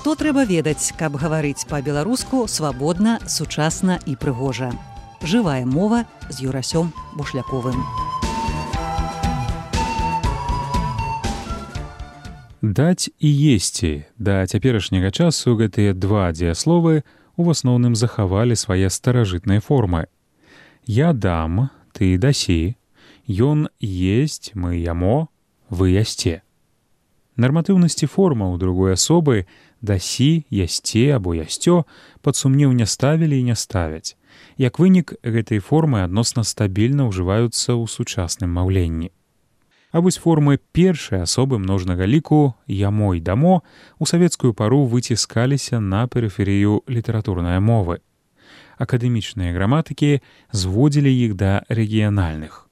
Што трэба ведаць, каб гаварыць па-беларуску свабодна, сучасна і прыгожа. Жывая мова з Юрасём Бушляковым. Даць і есці. Да цяперашняга часу гэтыя два дзеясловы у асноўным захавалі свае старажытныя формы. Я дам, ты дасі, ён есць, мы ямо, вы ясце. Нарматыўнасці формаў другой асобы дасі, ясце або ясцё пад сумнеў не ставілі і не ставяць. Як вынік, гэтай формы адносна стабільна ўжываюцца ў сучасным маўленні. А вось формы першай асобы множнага ліку ямо і дамо у савецкую пару выціскаліся на перыферыю літаратурнай мовы. Акадэмічныя граматыкі зводзілі іх да рэгіянальных.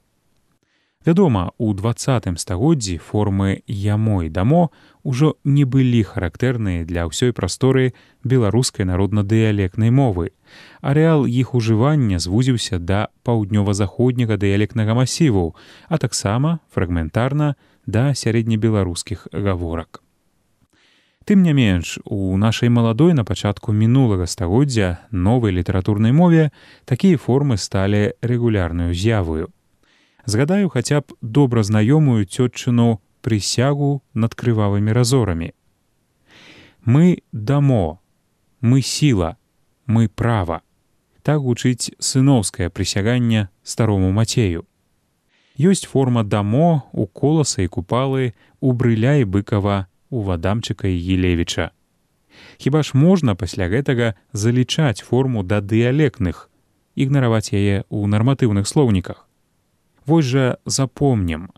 Вядома, у 20 стагоддзі формы ямо і дамо ўжо не былі характэрныя для ўсёй прасторы беларускай народна-дыялектнай мовы. Арэал іх ужывання звузіўся да паўднёва-заходняга дыялектнага масіву, а таксама фрагментарна да сярэднебеларускіх гаворак. Тым не менш, у нашай маладой на пачатку мінулага стагоддзя новай літаратурнай мове такія формы сталі рэгулярнаю з'явою. Згадаю хаця б добра знаёмую цётчыну прысягу над крывавымі разорамі. Мы дамо, мы сіла, мы права. Так гучыць сыноўскае прысяганне старому Мацею. Ёсць форма дамо у Коласа і Купалы, у Брыля і Быкава, у Вадамчыка і Гілевіча. Хіба ж можна пасля гэтага залічаць форму да дыялектных, ігнараваць яе ў нарматыўных слоўніках? Вось жа запомнім,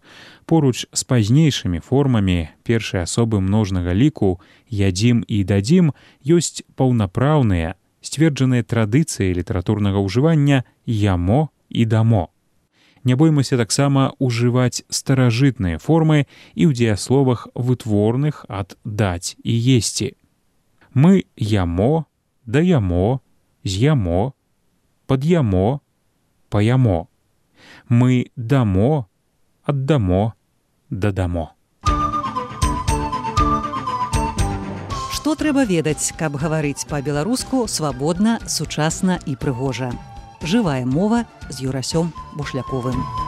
поруч з пазнейшымі формамі першай асобы множнага ліку ядзім і дадзім ёсць паўнапраўныя, сцверджаныя традыцыі літаратурнага ўжывання ямо і дамо. Не боймася таксама ўжываць старажытныя формы і ў дзеясловах вытворных ад даць і есці. Мы ямо, даямо, з'ямо, пад'ямо, паямо. Мы дамо, аддамо, дадамо. Што трэба ведаць, каб гаварыць па-беларуску свабодна, сучасна і прыгожа. Жывая мова з Юрасём Бушляковым.